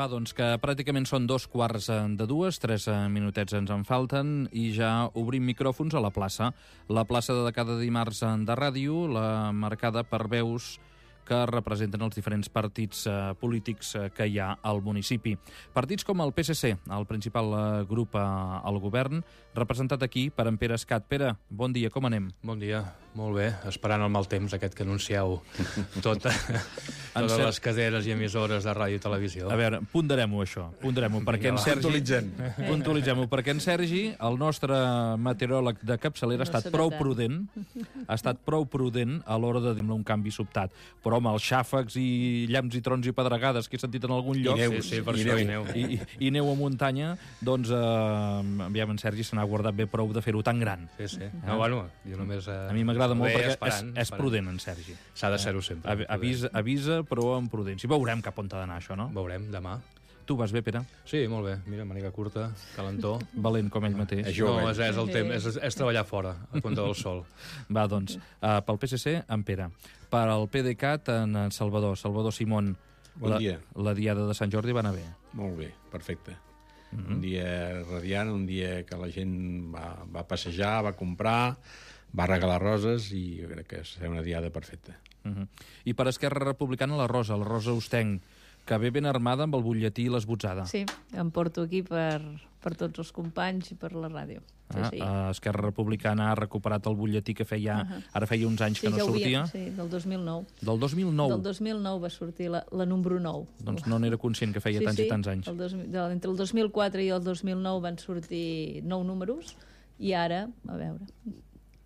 Va, doncs que pràcticament són 2:15, 3 minutets ens en falten i ja obrim micròfons a la plaça. La plaça de cada dimarts de ràdio, la marcada per veus que representen els diferents partits polítics que hi ha al municipi. Partits com el PSC, el principal grup al govern, representat aquí per en Pere Escat. Pere, bon dia, com anem? Bon dia, molt bé, esperant el mal temps aquest que anuncieu totes les caderes i emissores de ràdio i televisió. A veure, ponderem-ho això, perquè en Sergi... Puntualitzem-ho, perquè en Sergi, el nostre meteoròleg de capçalera, ha estat prou prudent a l'hora de dir-ne un canvi sobtat. Però, home, els xàfecs i llamps i trons i pedregades que he sentit en algun lloc... I neu a muntanya, doncs, aviam, en Sergi se n'ha guardat bé prou de fer-ho tan gran. Sí. No, bueno, jo només... A mi m'agrada molt perquè és prudent, en Sergi. S'ha de ser-ho sempre. Avisa, però amb prudència. I veurem cap on t'ha d'anar, això, no? Veurem, demà. Tu vas bé, Pere? Sí, molt bé. Mira, màniga curta, calentó. Valent com ell mateix. No, és el temps, és treballar fora, a compte del sol. Va, doncs, pel PSC, en Pere. Per al PDeCAT, en Salvador Simón. Bon dia. La diada de Sant Jordi va anar bé. Molt bé, perfecte. Un dia radiant, un dia que la gent va passejar, va comprar, va regalar roses i jo crec que serà una diada perfecta. I per Esquerra Republicana, la Rosa Ostenc, que ve ben armada amb el butlletí i l'esbotzada. Sí, em porto aquí per tots els companys i per la ràdio. Sí. Esquerra Republicana ha recuperat el butlletí que ara feia uns anys que no sortia. Sí, del 2009. Del 2009? Del 2009 va sortir la número 9. Doncs no n'era conscient que feia tants i tants anys. Entre el 2004 i el 2009 van sortir 9 números i ara, a veure...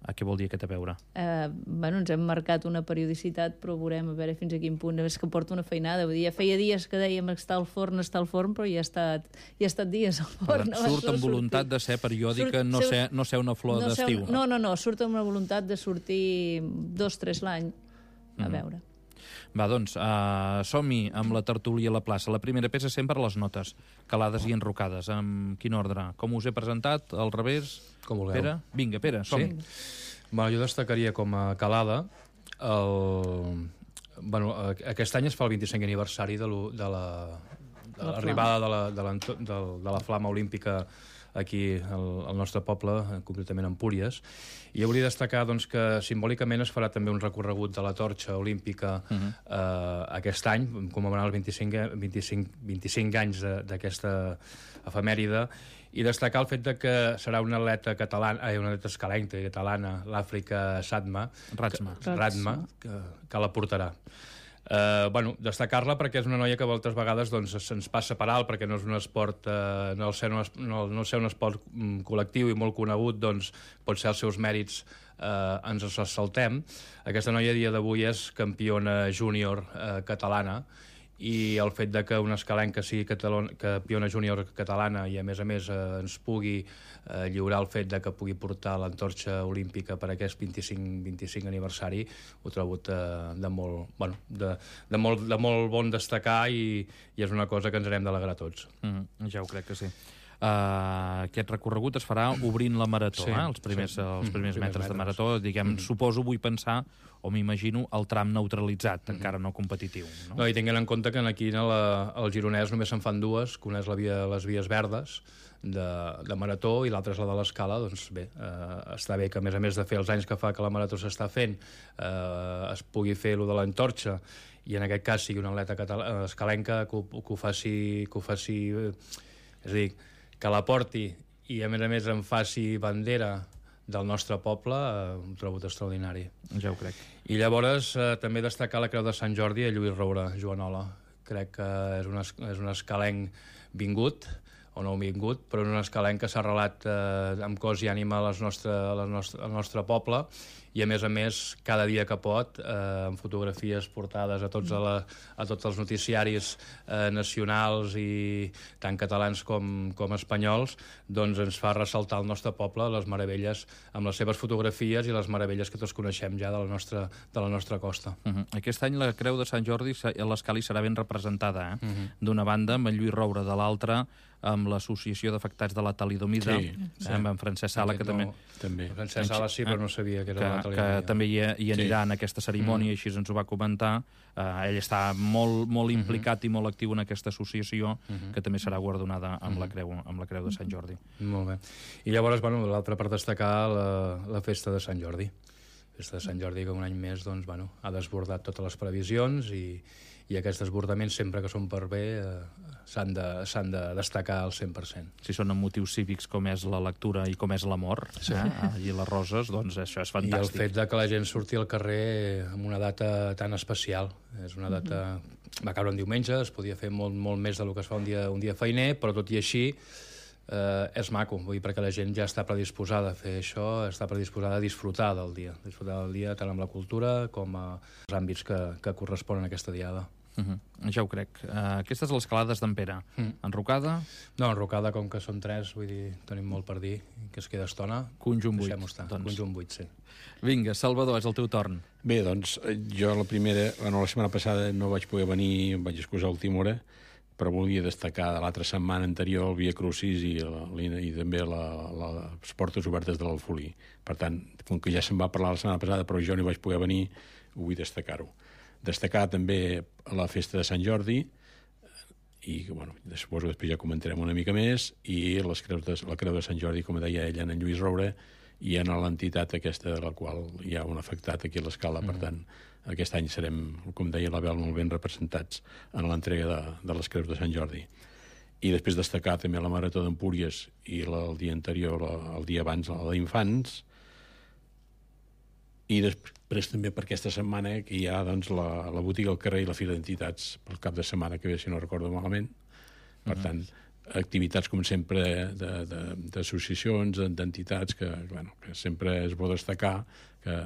Què vol dir aquest a veure? Ens hem marcat una periodicitat, però veurem a veure fins a quin punt. És que porta una feinada. Vull dir, feia dies que dèiem està al forn, però ja ha estat dies al forn. Surt amb voluntat de ser periòdica, no ser una flor d'estiu. No, surt amb una voluntat de sortir 2-3 l'any. A veure. Va, doncs, som-hi amb la tertúlia a la plaça. La primera peça sempre les notes, calades i enrocades. En quin ordre? Com us he presentat? Al revés? Com vulgueu. Pere? Vinga, Pere, som-hi. Bueno, jo destacaria com a calada aquest any es fa el 25è aniversari de l'arribada de la flama olímpica aquí al nostre poble, concretament a Empúries, i hauria de destacar doncs, que simbòlicament es farà també un recorregut de la torxa olímpica aquest any, commemorant els 25 anys d'aquesta efemèride, i destacar el fet de que serà una atleta escalenca catalana, l'Àfrica Ratma, que la portarà. Destacar-la perquè és una noia que moltes vegades se'ns passa per alt, perquè no és un esport no ser un esport col·lectiu i molt conegut, pot ser els seus mèrits ens els saltem. Aquesta noia a dia d'avui és campiona júnior catalana, i el fet de que una escalenca sigui campiona júnior catalana i a més ens pugui lliurar el fet de que pugui portar l'antorxa olímpica per aquest 25 aniversari, ho trobo de molt bon destacar, i és una cosa que ens n'hem d'alegrar tots. Ja ho crec que sí. Aquest recorregut es farà obrint la marató, els primers metres de marató, vull pensar, o m'imagino, el tram neutralitzat, encara no competitiu. No, i tinguent en compte que aquí al Gironès només se'n fan dues, que una és les vies verdes de marató i l'altra és la de l'escala. Doncs bé, està bé que a més de fer els anys que fa que la marató s'està fent es pugui fer allò de l'antorxa, i en aquest cas sigui una atleta escalenca que ho faci, és a dir, que la porti i a més en faci bandera del nostre poble, ho trobo extraordinari. Ja ho crec. I llavors també destacar la Creu de Sant Jordi a Lluís Roura, Joanola. Crec que és un escalenc vingut, o no vingut, però és un escalenc que s'ha arrelat amb cos i ànima al nostre poble, i a més cada dia que pot, amb fotografies portades a tots els noticiaris nacionals, i tant catalans com espanyols, doncs ens fa ressaltar el nostre poble, les meravelles, amb les seves fotografies i les meravelles que tots coneixem ja de la nostra costa. Aquest any la Creu de Sant Jordi a l'escala serà ben representada, d'una banda amb en Lluís Roura, de l'altra amb l'Associació d'Afectats de la Talidomida, amb en Francesc Sala, que també... Francesc Sala sí, però no sabia que era que també hi anirà en aquesta cerimònia, així ens ho va comentar. Ell està molt implicat i molt actiu en aquesta associació, que també serà guardonada amb la Creu de Sant Jordi. Molt bé. I llavors, l'altra per destacar, la festa de Sant Jordi. La festa de Sant Jordi, que un any més ha desbordat totes les previsions i aquests desbordaments, sempre que són per bé, s'han de destacar al 100%. Si són amb motius cívics com és la lectura i com és l'amor, i les roses, doncs això és fantàstic. I el fet de que la gent surti al carrer amb una data tan especial. És una data... Va caure un diumenge, es podia fer molt més del que es fa un dia feiner, però tot i així és maco, vull dir, perquè la gent ja està predisposada a fer això, està predisposada a disfrutar del dia tant amb la cultura com als àmbits que corresponen a aquesta diada. Ja ho crec. Aquestes les calades d'en Pere. Enrocada? No, enrocada, com que són 3, vull dir, tenim molt per dir, que es queda estona. Conjunt 8. Deixem-ho estar. Conjunt 8, sí. Vinga, Salvador, és el teu torn. Bé, doncs, jo la setmana passada no vaig poder venir, em vaig excusar a última hora, però volia destacar de l'altra setmana anterior el Via Crucis i també les portes obertes de l'Alfolí. Per tant, com que ja se'n va parlar la setmana passada, però jo no hi vaig poder venir, ho vull destacar-ho. Destacar també la festa de Sant Jordi, i suposo que després ja comentarem una mica més, i la Creu de Sant Jordi, com deia ella, en Lluís Roure, i en l'entitat aquesta de la qual hi ha un afectat aquí a l'Escala. Per tant, aquest any serem, com deia l'Abel, molt ben representats en l'entrega de les Creus de Sant Jordi. I després destacar també la Marató d'Empúries i el dia anterior, el dia abans, la d'Infants. I després també per aquesta setmana que hi ha la botiga al carrer i la fira d'entitats pel cap de setmana que ve, si no recordo malament. Per tant, activitats, com sempre, d'associacions, d'entitats, que sempre és bo destacar que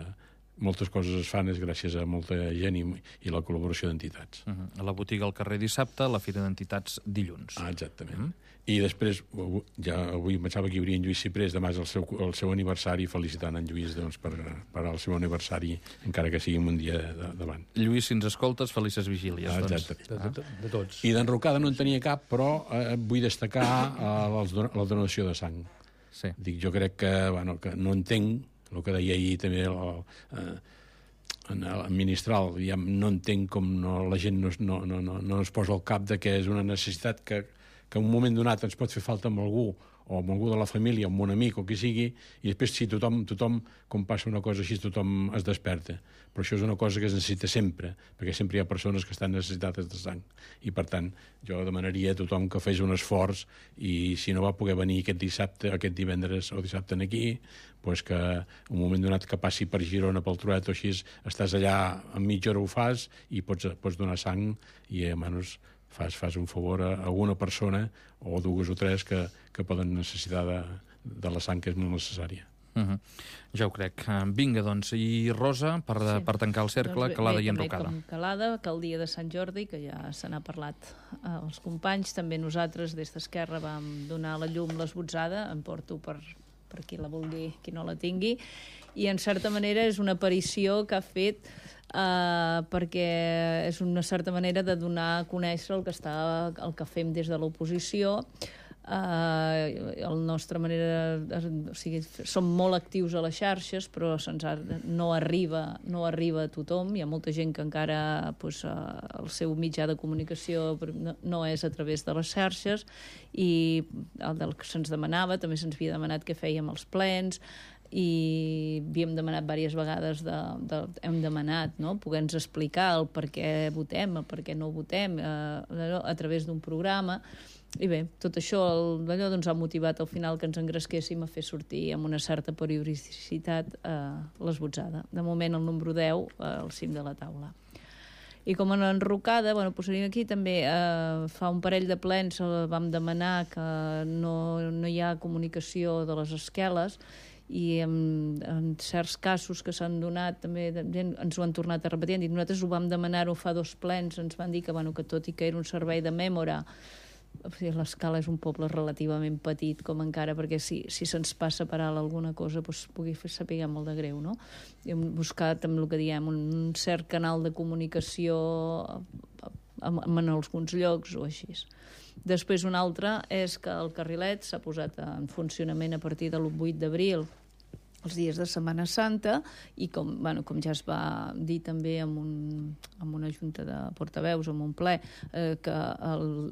moltes coses es fan és gràcies a molta gent i la col·laboració d'entitats. La botiga al carrer dissabte, la fira d'entitats dilluns. Exactament. I després, avui pensava que hi hauria en Lluís Ciprés, demà és el seu aniversari, felicitant en Lluís per el seu aniversari, encara que sigui un dia davant. Lluís, si ens escoltes, felices vigílies. Exactament. De tots. I d'enrocada no en tenia cap, però vull destcar la donació de sang. Sí. Jo crec que no entenc el que deia ahir també el ministral, ja no entenc com la gent no es posa al cap de que és una necessitat que en un moment donat ens pot fer falta amb algú, o amb algú de la família, amb un amic o qui sigui, i després si tothom, com passa una cosa així, tothom es desperta. Però això és una cosa que es necessita sempre, perquè sempre hi ha persones que estan necessitades de sang. I, per tant, jo demanaria a tothom que fes un esforç i, si no va poder venir aquest divendres o dissabte aquí, doncs que un moment donat que passi per Girona, pel Truet o així, estàs allà, en mitja hora ho fas i pots donar sang i, almenys, fas un favor a alguna persona o dues o tres que poden necessitar de la sang, que és molt necessària. Ja ho crec. Vinga, doncs. I Rosa, per tancar el cercle, calada i enrocada. Com calada, que el dia de Sant Jordi, que ja se n'ha parlat als companys, també nosaltres des d'Esquerra vam donar a la llum l'esbotzada, em porto per qui la vulgui, qui no la tingui, i en certa manera és una aparició que ha fet perquè és una certa manera de donar a conèixer el que fem des de l'oposició. La nostra manera, o sigui, som molt actius a les xarxes, però no arriba a tothom. Hi ha molta gent que encara el seu mitjà de comunicació no és a través de les xarxes, i el que se'ns demanava, també se'ns havia demanat què fèiem als plens, i havíem demanat diverses vegades hem demanat poder-nos explicar el per què votem, el per què no votem a través d'un programa. I bé, tot això ha motivat al final que ens engresquéssim a fer sortir amb una certa periodicitat l'esbotzada. De moment el número 10 al cim de la taula. I com en enrocada, aquí també fa un parell de plens vam demanar que no hi ha comunicació de les esqueles, i en certs casos que s'han donat també ens ho han tornat a repetir, i nosaltres ho vam demanar fa 2 plens, ens van dir que tot i que era un servei de mèmora, l'Escala és un poble relativament petit com encara, perquè si se'ns passa per alt alguna cosa pugui saber molt de greu, no? I hem buscat amb el que diem un cert canal de comunicació en alguns llocs o així. Després un altre és que el carrilet s'ha posat en funcionament a partir de l'8 d'abril els dies de Setmana Santa, i com ja es va dir també en una junta de portaveus, en un ple, que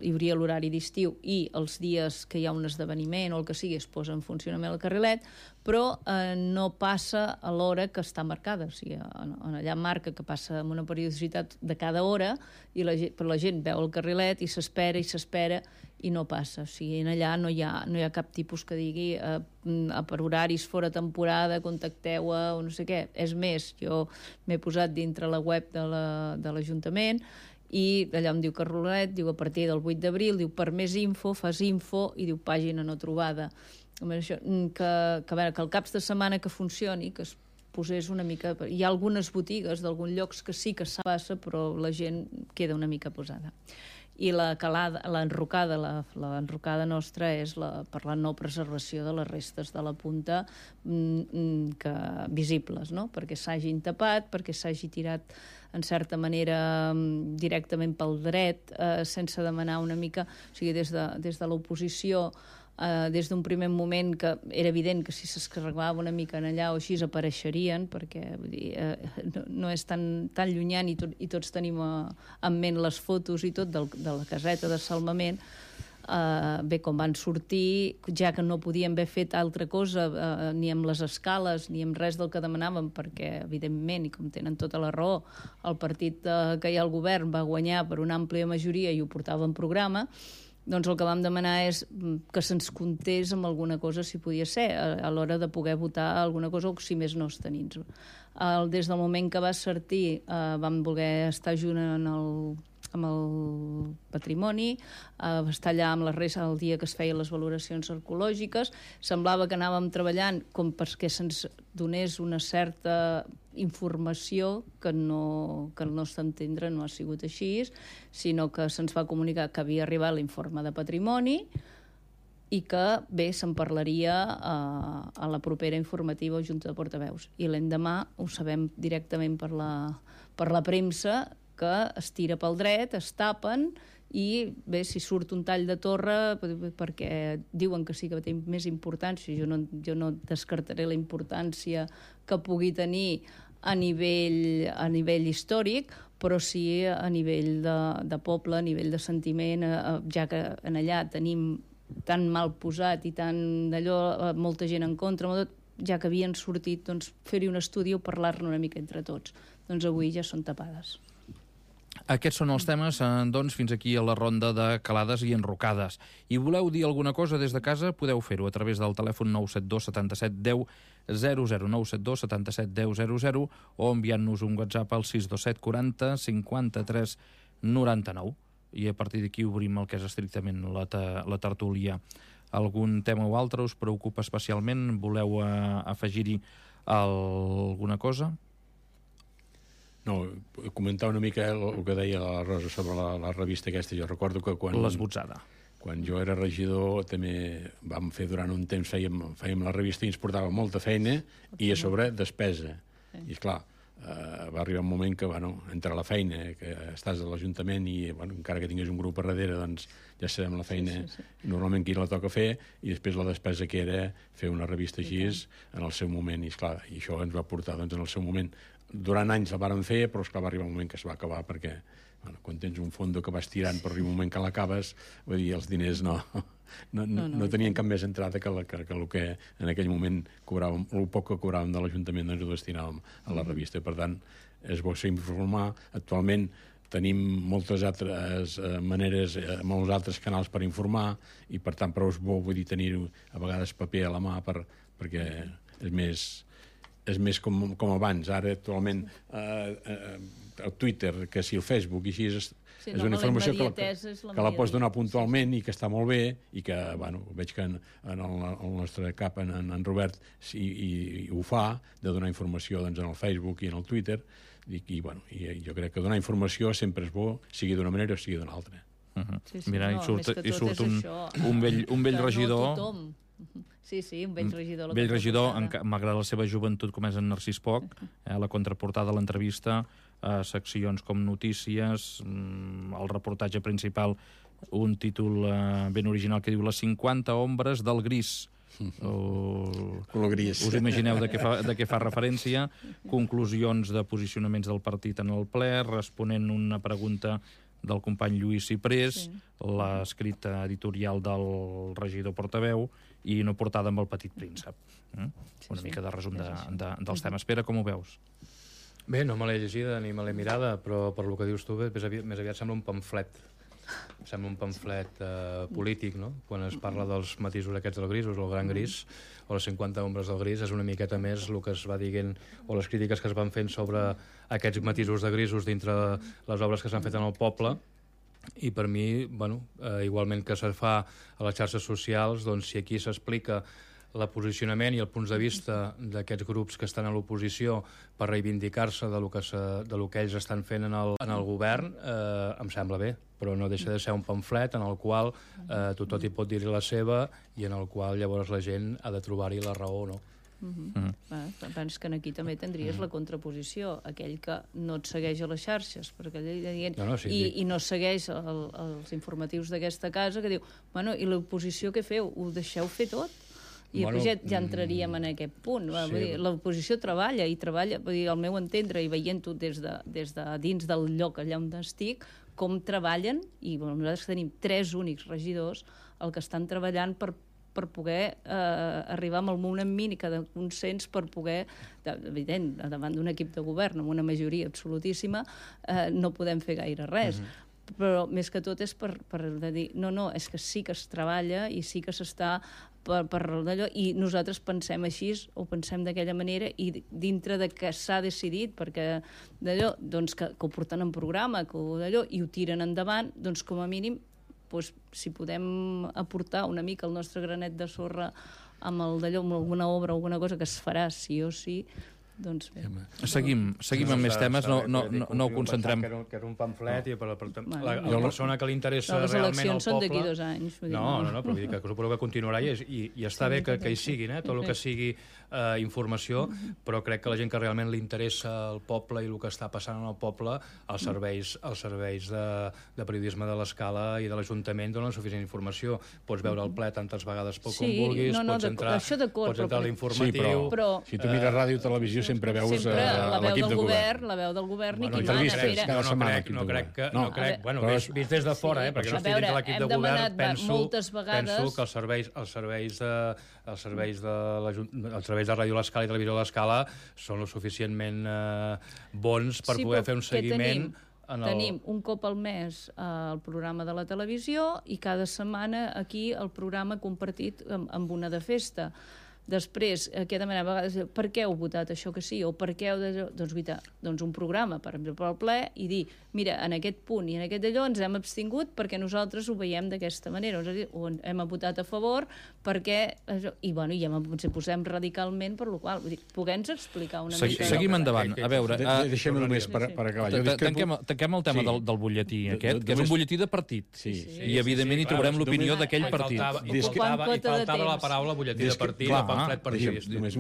hi hauria l'horari d'estiu i els dies que hi ha un esdeveniment o el que sigui es posa en funcionament el carrilet, però no passa a l'hora que està marcada. O sigui, allà marca que passa amb una periodicitat de cada hora, però la gent veu el carrilet i s'espera i no passa. O sigui, allà no hi ha cap tipus que digui per horaris fora temporada, contacteu o no sé què. És més, jo m'he posat dintre la web de l'Ajuntament i allà em diu carrilet, diu a partir del 8 d'abril, diu per més info, fas info i diu pàgina no trobada. Això, que el caps de setmana que funcioni, que es posés una mica... Hi ha algunes botigues d'alguns llocs que sí que passa, però la gent queda una mica posada. I l'enrocada nostra és per la no preservació de les restes de la punta visibles, no? Perquè s'hagin tapat, perquè s'hagi tirat en certa manera directament pel dret, sense demanar una mica... O sigui, des de l'oposició, des d'un primer moment que era evident que si s'escarregava una mica en allà o així apareixerien, perquè vull dir, no és tan llunyant i tots tenim en ment les fotos i tot de la caseta de salvament. Bé, com van sortir, ja que no podien haver fet altra cosa ni amb les escales ni amb res del que demanàvem, perquè evidentment, i com tenen tota la raó, el partit que hi ha al govern va guanyar per una àmplia majoria i ho portava en programa, doncs el que vam demanar és que se'ns comptés amb alguna cosa, si podia ser, a l'hora de poder votar alguna cosa, o si més no abstenir-nos. Des del moment que va sortir vam voler estar junt amb el patrimoni, estar allà amb les restes el dia que es feien les valoracions arqueològiques. Semblava que anàvem treballant com perquè se'ns donés una certa informació que al nostre entendre no ha sigut així, sinó que se'ns va comunicar que havia arribat l'informe de patrimoni i que, bé, se'n parlaria a la propera informativa o junta de portaveus. I l'endemà ho sabem directament per la premsa, que es tira pel dret, es tapen i, bé, si surt un tall de torre, perquè diuen que sí que té més importància, jo no descartaré la importància que pugui tenir a nivell històric, però sí a nivell de poble, a nivell de sentiment, ja que en allà tenim tan mal posat i tan d'allò, molta gent en contra, ja que havien sortit, doncs, fer-hi un estudi o parlar-ne una mica entre tots. Doncs avui ja són tapades. Aquests són els temes, doncs, fins aquí a la ronda de calades i enrocades. I voleu dir alguna cosa des de casa? Podeu fer-ho a través del telèfon 972 77 10 00, 972 77 10 00, o enviant-nos un WhatsApp al 627 40 53 99. I a partir d'aquí obrim el que és estrictament la tertúlia. Algun tema o altre us preocupa especialment? Voleu afegir-hi alguna cosa? No, comentar una mica el que deia la Rosa sobre la revista aquesta. Jo recordo que L'Esbotzada. Quan jo era regidor també vam fer durant un temps, fèiem la revista i ens portava molta feina i a sobre despesa. I esclar, va arribar un moment que, entre la feina, que estàs a l'Ajuntament i encara que tingués un grup a darrere, doncs ja sabem la feina normalment qui la toca fer, i després la despesa que era fer una revista així en el seu moment. I esclar, i això ens va portar en el seu moment. Durant anys la vàrem fer, però esclar, va arribar un moment que es va acabar perquè quan tens un fondo que vas tirant però arriba un moment que l'acabes, vull dir, els diners no tenien cap més entrada que el que en aquell moment cobràvem, el poc que cobràvem de l'Ajuntament, doncs ho destinàvem a la revista. Per tant, és bo ser informar. Actualment tenim moltes altres maneres, molts altres canals per informar, i per tant prou és bo, vull dir, tenir a vegades paper a la mà perquè és més com abans. Ara, actualment, el Twitter, que si el Facebook, i així és una informació que la pots donar puntualment i que està molt bé, i que, veig que en el nostre cap, en Robert, i ho fa, de donar informació en el Facebook i en el Twitter, i jo crec que donar informació sempre és bo, sigui d'una manera o sigui d'una altra. Mira, i surt un vell regidor... Sí, un vell regidor. Vell regidor, m'agrada la seva joventut, com és en Narcís Poch, la contraportada de l'entrevista, seccions com Notícies, el reportatge principal, un títol ben original que diu Les 50 ombres del gris, Color gris. Us imagineu de què fa referència. Conclusions de posicionaments del partit en el ple, responent una pregunta del company Lluís Ciprés, l'escrit editorial del regidor portaveu i una portada amb el Petit Príncep. Una mica de resum dels temes. Pere, com ho veus? Bé, no me l'he llegida ni me l'he mirada, però per lo que dius tu, més aviat sembla un pamflet. Sembla un pamflet polític, no? Quan es parla dels matisos aquests del gris, o el gran gris, o les 50 ombres del gris, és una miqueta més el que es va dient, o les crítiques que es van fent sobre aquests matisos de grisos dintre les obres que s'han fet en el poble. I per mi, bueno, igualment que se fa a les xarxes socials, doncs si aquí s'explica el posicionament i el punts de vista d'aquests grups que estan a l'oposició per reivindicar-se de lo que ells estan fent en el govern, em sembla bé, però no deixa de ser un pamflet en el qual tothom hi pot dir-hi la seva i en el qual llavors la gent ha de trobar-hi la raó, no? Penso que aquí també tindries la contraposició, aquell que no et segueix a les xarxes perquè i no segueix els informatius d'aquesta casa, que diu, bueno, i l'oposició què feu? Ho deixeu fer tot? I ja entraríem en aquest punt. L'oposició treballa, al meu entendre, i veient-ho des de dins del lloc allà on estic, com treballen, i nosaltres tenim 3 únics regidors el que estan treballant per poder arribar amb el mínim mínica de consens per poder, evident, davant d'un equip de govern amb una majoria absolutíssima, no podem fer gaire res. Però més que tot és per dir, no, és que sí que es treballa i sí que s'està per d'allò, i nosaltres pensem així, o pensem d'aquella manera, i dintre de que s'ha decidit, perquè d'allò, doncs que ho porten en programa, i ho tiren endavant, doncs com a mínim, si podem aportar una mica el nostre granet de sorra amb alguna obra o alguna cosa que es farà sí o sí, doncs bé. Seguim amb més temes, no ho concentrem. Que és un pamflet i la persona que li interessa realment al poble... Les eleccions són d'aquí 2 anys. No, però vull dir que suposo que continuarà i està bé que hi sigui, tot el que sigui informació, però crec que la gent que realment li interessa el poble i el que està passant en el poble, els serveis de periodisme de l'Escala i de l'Ajuntament donen suficient informació. Pots veure el ple tantes vegades com vulguis, pots entrar a l'informatiu... Si tu mires ràdio o televisió sempre veus l'equip de govern. La veu del govern i qui mana. No crec, bueno, vist des de fora, perquè no estic dins de l'equip de govern, penso que els serveis de Ràdio l'Escala i Televisió l'Escala són lo suficientment bons per poder fer un seguiment. Tenim un cop al mes el programa de la televisió i cada setmana aquí el programa compartit amb una de festa. Després, què demanem a vegades? Per què heu votat això que sí? O per què heu... Doncs un programa, per exemple, al ple, i dir, mira, en aquest punt i en aquest d'allò ens hem abstingut perquè nosaltres ho veiem d'aquesta manera. O hem votat a favor perquè... I ens posem radicalment, per la qual cosa. Poder-nos explicar una mica... Seguim endavant. A veure... Deixem només per acabar. Tanquem el tema del butlletí aquest, que és un butlletí de partit. I, evidentment, hi trobarem l'opinió d'aquell partit. I faltava la paraula butlletí de partit, només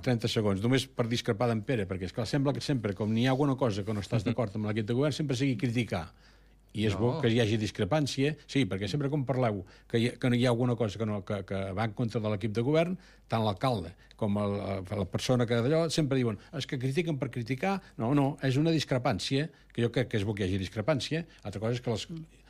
30 segons, només per discrepar d'en Pere, perquè esclar, sembla que sempre, com n'hi ha alguna cosa que no estàs d'acord amb l'equip de govern, sempre sigui criticar. I és bo que hi hagi discrepància, sí, perquè sempre com parleu que hi ha alguna cosa que va en contra de l'equip de govern, tant l'alcalde com la persona que d'allò sempre diuen és que critiquen per criticar. No, és una discrepància, que jo crec que és bo que hi hagi discrepància, altra cosa és que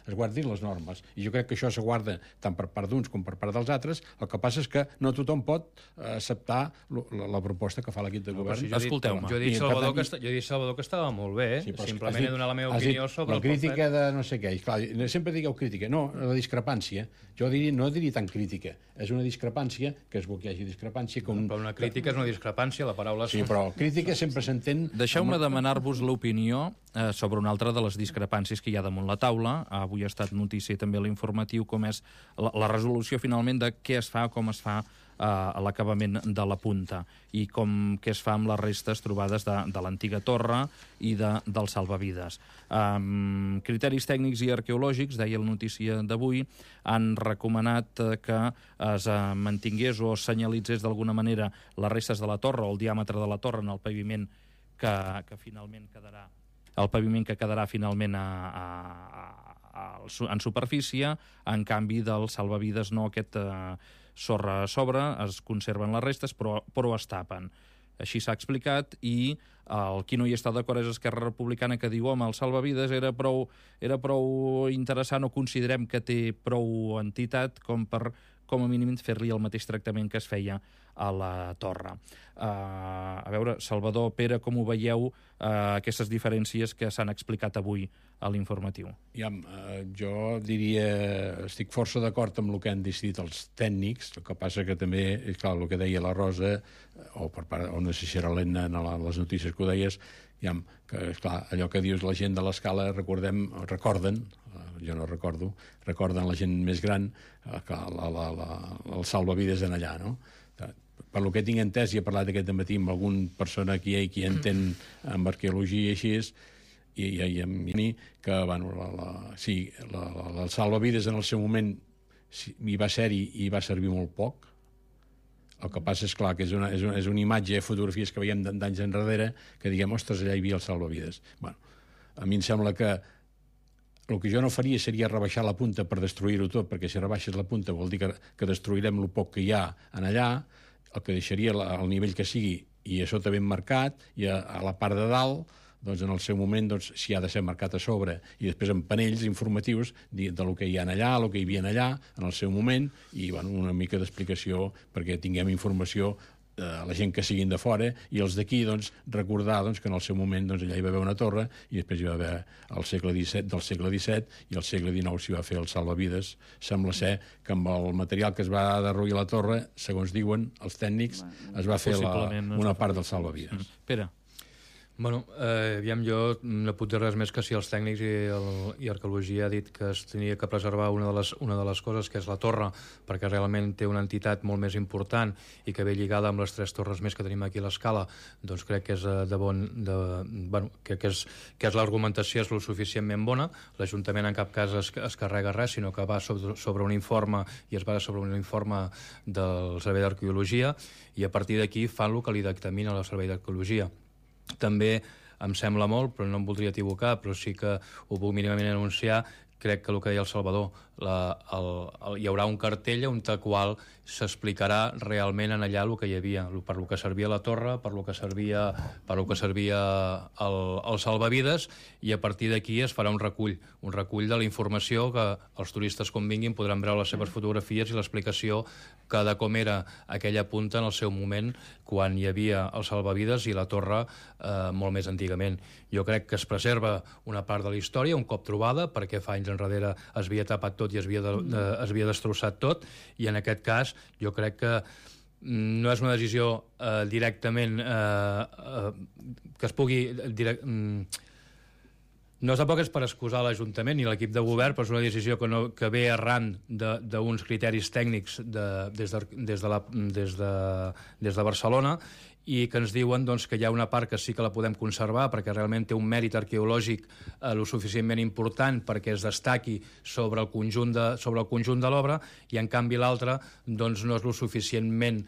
es guardin les normes. I jo crec que això se guarda tant per part d'uns com per part dels altres. El que passa és que no tothom pot acceptar la proposta que fa l'equip de govern. Escolteu-me. Jo he dit, Salvador, que estava molt bé, simplement he donat la meva opinió sobre la crítica de no sé què. I clar, sempre digueu crítica. No, la discrepància. Jo no diria tant crítica. És una discrepància, que és bo que hi hagi discrepància. Però una crítica és una discrepància, la paraula... Sí, però crítica sempre s'entén... Deixeu-me demanar-vos l'opinió sobre una altra de les discrepàncies que hi ha damunt la taula. Avui ha estat notícia també a l'informatiu com és la resolució finalment de què es fa, com es fa a l'acabament de la punta i què es fa amb les restes trobades de l'antiga torre i del salvavides. Criteris tècnics i arqueològics, deia la notícia d'avui, han recomanat que es mantingués o senyalitzés d'alguna manera les restes de la torre o el diàmetre de la torre en el paviment que finalment quedarà finalment en superfície, en canvi del salvavides no, aquest sorra a sobre, es conserven les restes, però es tapen. Així s'ha explicat, i el qui no hi està d'acord és Esquerra Republicana, que diu, home, el salvavides era prou interessant, o considerem que té prou entitat com a mínim fer-li el mateix tractament que es feia a la torre. A veure, Salvador, Pere, com ho veieu, aquestes diferències que s'han explicat avui a l'informatiu? Jo diria, estic força d'acord amb el que han decidit els tècnics, el que passa que també, clar, el que deia la Rosa, o no sé si era l'Enna en les notícies que ho deies, que, esclar, allò que dius la gent de l'escala, recorden, jo no recordo, recorden la gent més gran que el salvavides en allà, no? Per lo que tinc entès, i he parlat aquest matí amb alguna persona aquí qui entén amb arqueologia i així, i a mi, que, bueno, el salvavides en el seu moment hi va ser-hi i va servir molt poc. El que passa és, clar, que és una imatge, fotografies que veiem d'anys enrere, que diguem, ostres, allà hi havia el salvavides. Bueno, a mi em sembla que el que jo no faria seria rebaixar la punta per destruir-ho tot, perquè si rebaixes la punta vol dir que destruirem el poc que hi ha en allà, el que deixaria el nivell que sigui, i a sota ben marcat, i a la part de dalt, doncs en el seu moment, si ha de ser marcat a sobre, i després amb panells informatius del que hi ha allà, el que hi havia allà, en el seu moment, i una mica d'explicació perquè tinguem informació la gent que siguin de fora, i els d'aquí recordar que en el seu moment allà hi va haver una torre, i després hi va haver del segle XVII, i al segle XIX s'hi va fer el salvavides. Sembla ser que amb el material que es va derruir la torre, segons diuen els tècnics, es va fer una part del salvavides. Pere. Bueno, aviam, jo no puc dir res més que si els tècnics i arqueologia ha dit que es tenia que preservar una de les coses, que és la torre, perquè realment té una entitat molt més important i que ve lligada amb les 3 torres més que tenim aquí a l'escala, doncs crec que és que l'argumentació és lo suficientment bona. L'Ajuntament en cap cas es carrega res, sinó que va sobre un informe, i es basa sobre un informe del Servei d'Arqueologia, i a partir d'aquí fan el que li dictamina el Servei d'Arqueologia. També em sembla molt, però no em voldria equivocar, però sí que ho puc mínimament anunciar, crec que el que deia el Salvador, hi haurà un cartell on el qual s'explicarà realment en allà el que hi havia, per lo que servia la torre, per lo que servia el salvavides, i a partir d'aquí es farà un recull de la informació que els turistes, quan vinguin, podran veure les seves fotografies i l'explicació de com era aquella punta en el seu moment, quan hi havia el salvavides i la torre molt més antigament. Jo crec que es preserva una part de la història, un cop trobada, perquè fa anys enrere es havia tapat tot i es havia destrossat tot, i en aquest cas jo crec que no és una decisió directament que es pugui... No tampoc és per excusar l'Ajuntament ni l'equip de govern, però és una decisió que ve arran d'uns criteris tècnics des de Barcelona, i que ens diuen que hi ha una part que sí que la podem conservar perquè realment té un mèrit arqueològic lo suficientment important perquè es destaqui sobre el conjunt de l'obra, i en canvi l'altra no és lo suficientment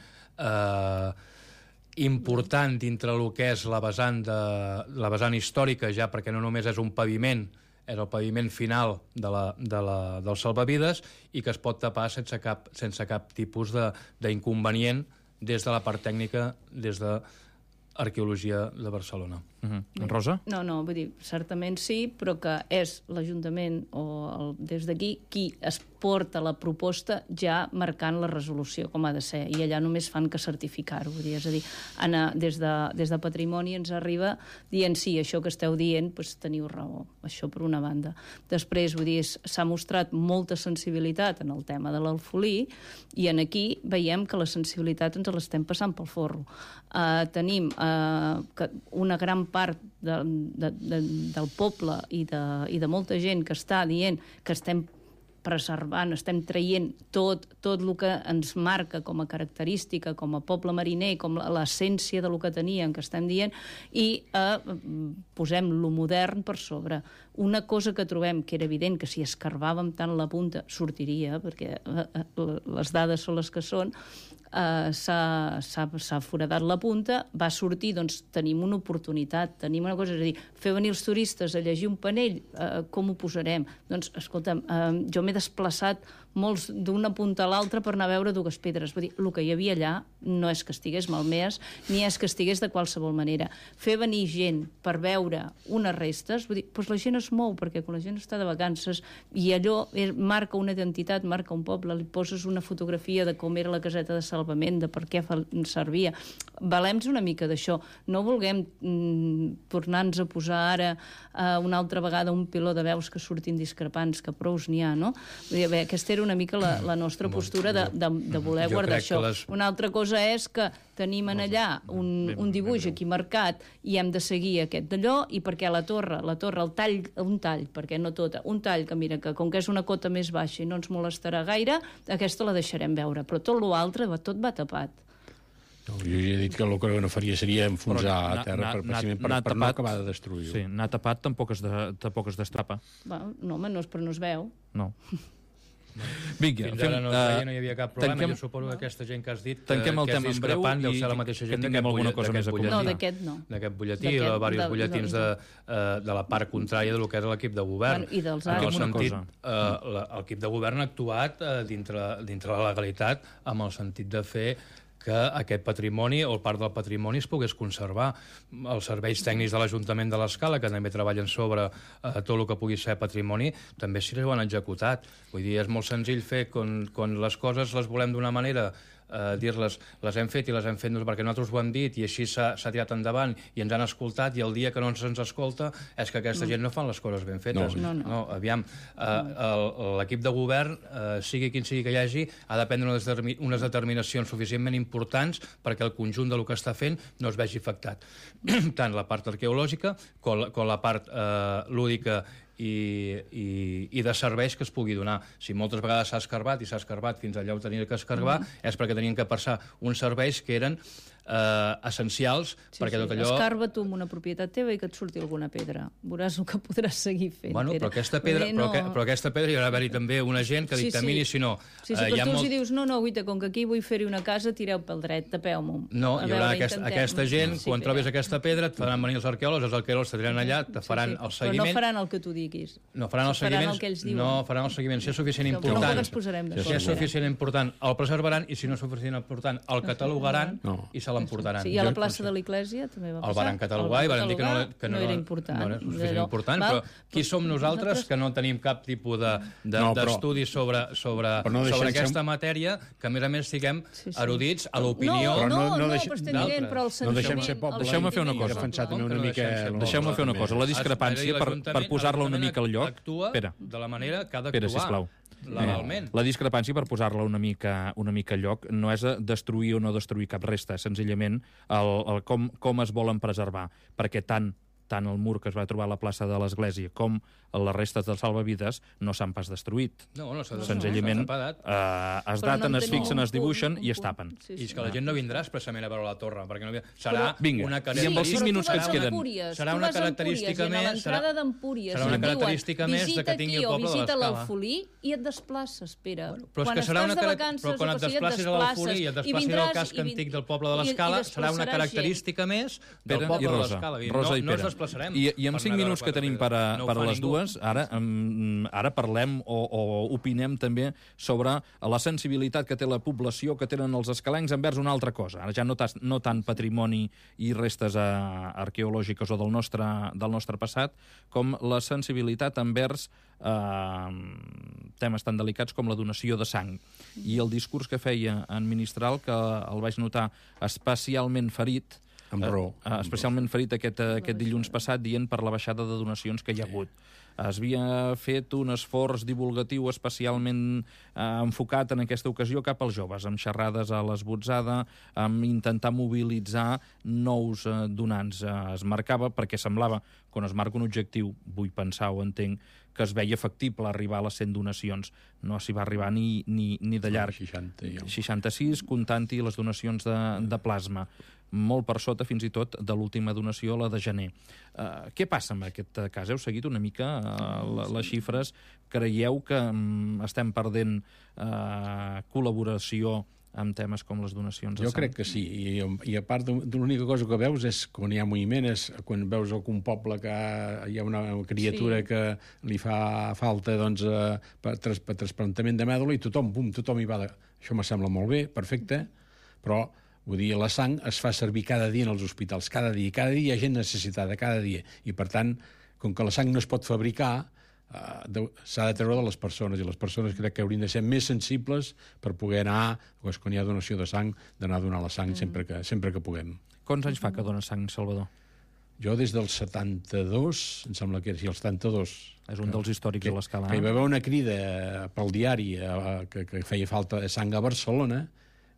important dintre el que és la vessant històrica, ja perquè no només és un paviment, és el paviment final del salvavides, i que es pot tapar sense cap tipus d'inconvenient des de la part tècnica, des de Arqueologia de Barcelona. Rosa? No, vull dir, certament sí, però que és l'Ajuntament o des d'aquí qui es porta la proposta ja marcant la resolució com ha de ser, i allà només fan que certificar-ho. És a dir, des de Patrimoni ens arriba dient sí, això que esteu dient, doncs teniu raó, això per una banda. Després, vull dir, s'ha mostrat molta sensibilitat en el tema de l'alfolí, i en aquí veiem que la sensibilitat ens l'estem passant pel forro. Tenim una gran part del poble i de molta gent que està dient que estem preservant, estem traient tot el que ens marca com a característica, com a poble mariner, com l'essència del que teníem, que estem dient, i posem lo modern per sobre. Una cosa que trobem que era evident que si escarbàvem tant la punta sortiria, perquè les dades són les que són, s'ha foradat la punta, va sortir, doncs tenim una oportunitat, tenim una cosa, és a dir, fer venir els turistes a llegir un panell, com ho posarem? Doncs, escolta'm, jo m'he desplaçat molts d'una punta a l'altra per anar a veure dues pedres. Vull dir, el que hi havia allà no és que estigués malmès, ni és que estigués de qualsevol manera. Fer venir gent per veure unes restes, vull dir, doncs la gent es mou, perquè quan la gent està de vacances i allò marca una identitat, marca un poble, li poses una fotografia de com era la caseta de salvament, de per què servia. Valem-nos una mica d'això. No vulguem tornar-nos a posar ara una altra vegada un piló de veus que surtin discrepants, que prous n'hi ha, no? Vull dir, aquesta era una mica la nostra postura de voler guardar això. Una altra cosa és que tenim en allà un dibuix aquí marcat i hem de seguir aquest d'allò, i perquè la torre, un tall, perquè no tota, un tall que mira, que com que és una cota més baixa i no ens molestarà gaire, aquesta la deixarem veure, però tot l'altre tot va tapat. Jo ja he dit que el que no faria seria enfonsar a terra per no acabar de destruir-ho. Sí, anar tapat tampoc es destrapa. No, home, però no es veu. No. Vinga, fins ara no hi havia cap problema. Jo suposo que aquesta gent que has dit tanquem el tema en breu deu ser la mateixa gent d'aquest butlletí. No, d'aquest no. D'aquest butlletí o de diversos butlletins de la part contrària del que és l'equip de govern. I dels altres. L'equip de govern ha actuat dintre la legalitat amb el sentit de fer que aquest patrimoni o part del patrimoni es pogués conservar. Els serveis tècnics de l'Ajuntament de l'Escala, que també treballen sobre tot el que pugui ser patrimoni, també s'hi ho han executat. Vull dir, és molt senzill fer quan les coses les volem d'una manera, dir-les, les hem fet i les hem fet perquè nosaltres ho hem dit i així s'ha tirat endavant i ens han escoltat, i el dia que no ens escolta és que aquesta gent no fan les coses ben fetes. No, aviam, l'equip de govern, sigui quin sigui que hi hagi, ha de prendre unes determinacions suficientment importants perquè el conjunt del que està fent no es vegi afectat. Tant la part arqueològica com la part lúdica i de serveis que es pugui donar. Si moltes vegades s'ha escarbat fins allà on tenia que escarbar, és perquè tenien que passar uns serveis que eren essencials, perquè tot allò... Escarba tu amb una propietat teva i que et surti alguna pedra. Veuràs el que podràs seguir fent. Bueno, però aquesta pedra hi haurà d'haver-hi també una gent que dictamini, si no... Sí, però tu si dius, no, guaita, com que aquí vull fer-hi una casa, tireu pel dret, tapeu-m'ho. No, hi haurà aquesta gent, quan trobis aquesta pedra, et faran venir els arqueòlegs t'aniran allà, te faran el seguiment... Però no faran el que tu diguis. No faran el seguiment. No faran el seguiment. Si és suficient important, el preservaran, i si no és suficient important, el catalogaran i se l'emportaran. I a la plaça de l'Església també va passar. El van catalogar i van dir que no era important. No era suficient important, però qui som nosaltres que no tenim cap tipus d'estudi sobre aquesta matèria, que a més siguem erudits a l'opinió d'altres. No deixem ser poble. Deixeu-me fer una cosa. La discrepància, per posar-la una mica al lloc... Actua de la manera que ha d'actuar. Legalment. La discrepància, per posar-la una mica al lloc, no és destruir o no destruir cap resta, és senzillament com es volen preservar, perquè tant el mur que es va trobar a la plaça de l'Església com les restes dels salvavides no s'han pas destruït. Senzillament es daten, es fixen, es dibuixen i es tapen. I és que la gent no vindrà expressament a veure la torre, perquè serà una característica... I amb els 5 minuts que ens queden... Serà una característica més... Serà una característica més de que tingui el poble de l'Escala. Visita l'Alfolí i et desplaces, Pere. Però quan et desplacis a l'Alfolí i et desplacis al casc antic del poble de l'Escala, serà una característica més del poble de l'Escala. No es desplaçarem. I amb 5 minuts que tenim per a les dues, ara parlem o opinem també sobre la sensibilitat que té la població, que tenen els escalencs envers una altra cosa. Ara ja no tant patrimoni i restes arqueològiques o del nostre passat, com la sensibilitat envers temes tan delicats com la donació de sang. I el discurs que feia en Ministral, que el vaig notar especialment ferit, especialment ferit aquest dilluns passat, dient per la baixada de donacions que hi ha hagut. Es havia fet un esforç divulgatiu especialment enfocat en aquesta ocasió cap als joves, amb xerrades a l'esbotzada, amb intentar mobilitzar nous donants. Es marcava, perquè semblava, quan es marca un objectiu, vull pensar o entenc, que es veia factible arribar a les 100 donacions. No s'hi va arribar ni de llarg. 66, comptant-hi les donacions de plasma. Molt per sota, fins i tot, de l'última donació, la de gener. Què passa amb aquest cas? Heu seguit una mica les xifres? Creieu que estem perdent col·laboració amb temes com les donacions de Jo sang? crec que sí, i a part de l'única cosa que veus és quan hi ha moviment, és quan veus algun poble que hi ha una criatura que li fa falta doncs, per trasplantament de mèdula i tothom hi va. Això me sembla molt bé, perfecte, però vull dir, la sang es fa servir cada dia en els hospitals, cada dia hi ha gent necessitada, cada dia, i per tant, com que la sang no es pot fabricar, s'ha de treure de les persones, i les persones crec que haurien de ser més sensibles per poder anar, quan hi ha donació de sang, d'anar a donar la sang sempre que puguem. Quants anys fa que dona sang, Salvador? Jo des del 72, em sembla que era el 72. És un dels històrics de l'Escala. Hi va haver una crida pel diari que feia falta sang a Barcelona,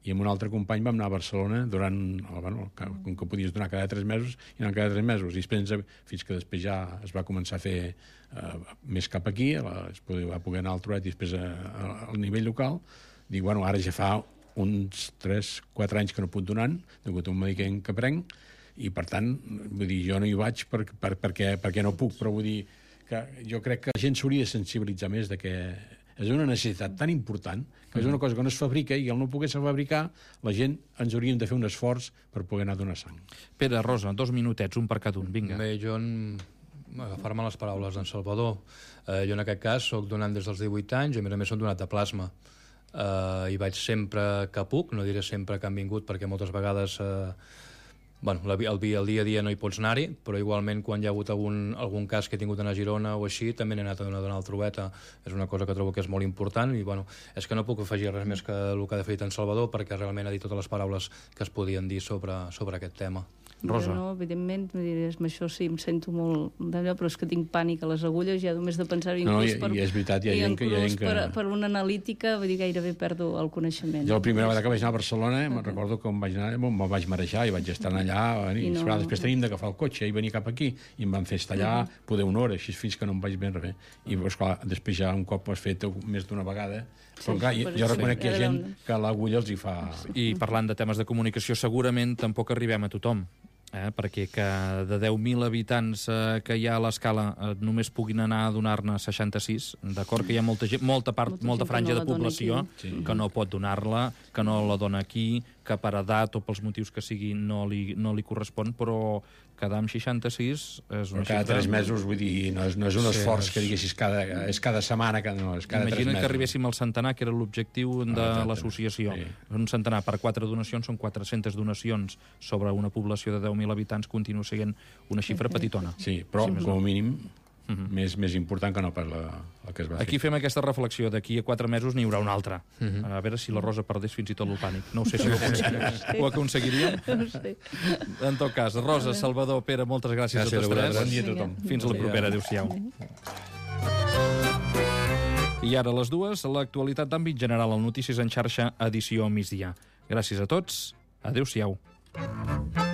i amb un altre company vam anar a Barcelona com que podies donar cada 3 mesos, i anar cada 3 mesos, i fins que després ja es va començar a fer més cap aquí, va poder anar al Truet i després al nivell local. Dic, ara ja fa uns 3-4 anys que no puc donant, degut a un medicament que prenc, i per tant, vull dir, jo no hi vaig perquè no puc, però vull dir que jo crec que la gent s'hauria de sensibilitzar més de que és una necessitat tan important, que és una cosa que no es fabrica, i al no poder-se fabricar, la gent ens hauríem de fer un esforç per poder anar a donar sang. Pere, Rosa, 2 minutets, un per cada un, vinga. Bé, jo, agafar-me les paraules d'en Salvador, jo en aquest cas soc donant des dels 18 anys, i a més soc donat de plasma. I vaig sempre que puc, no diré sempre que han vingut, perquè moltes vegades el dia a dia no hi pots anar-hi, però igualment quan hi ha hagut algun cas que he tingut a Girona o així, també n'he anat a donar el Trueta. És una cosa que trobo que és molt important, i és que no puc afegir res més que el que ha fet en Salvador, perquè realment ha dit totes les paraules que es podien dir sobre aquest tema. Rosa. Jo no, evidentment, amb això sí, em sento molt d'allò, però és que tinc pànic a les agulles, ja només de pensar-ho, inclús i és veritat, hi ha gent que... per una analítica, vull dir, gairebé perdo el coneixement. Jo la primera vegada que vaig anar a Barcelona, me'n recordo que vaig anar, me'n vaig marejar i vaig estar allà, després tenim d'agafar el cotxe i venir cap aquí, i em van fer estar allà poder una hora, així fins que no em vaig ben res. I esclar, després ja un cop ho has fet més d'una vegada, però clar, jo reconec que hi ha gent que l'agulla els hi fa... I parlant de temes de comunicació, segurament tampoc arribem a tothom, perquè que de 10.000 habitants que hi ha a l'Escala només puguin anar a donar-ne 66, d'acord que hi ha molta franja de població que no pot donar-la, que no la dona aquí, que per edat o pels motius que sigui no li correspon, però quedar amb 66 és una xifra... Cada 3 mesos, vull dir, no és un esforç que diguessis és cada setmana, no, és cada 3 mesos. Imagina't que arribéssim al centenar, que era l'objectiu de l'associació. Un centenar per 4 donacions són 400 donacions sobre una població de 10.000 habitants, continua sent una xifra petitona. Sí, però com a mínim més important que no pas la que es va fer. Aquí fem aquesta reflexió, d'aquí a 4 mesos n'hi haurà una altra. A veure si la Rosa perdés fins i tot el pànic. No ho sé si ho aconseguiríem. No sé. En tot cas, Rosa, Salvador, Pere, moltes gràcies a tots tres. Bon dia a tothom. Fins la propera. Adéu-siau. I ara a les 2, l'actualitat d'àmbit general, el Notícies en xarxa, edició migdia. Gràcies a tots. Adéu-siau.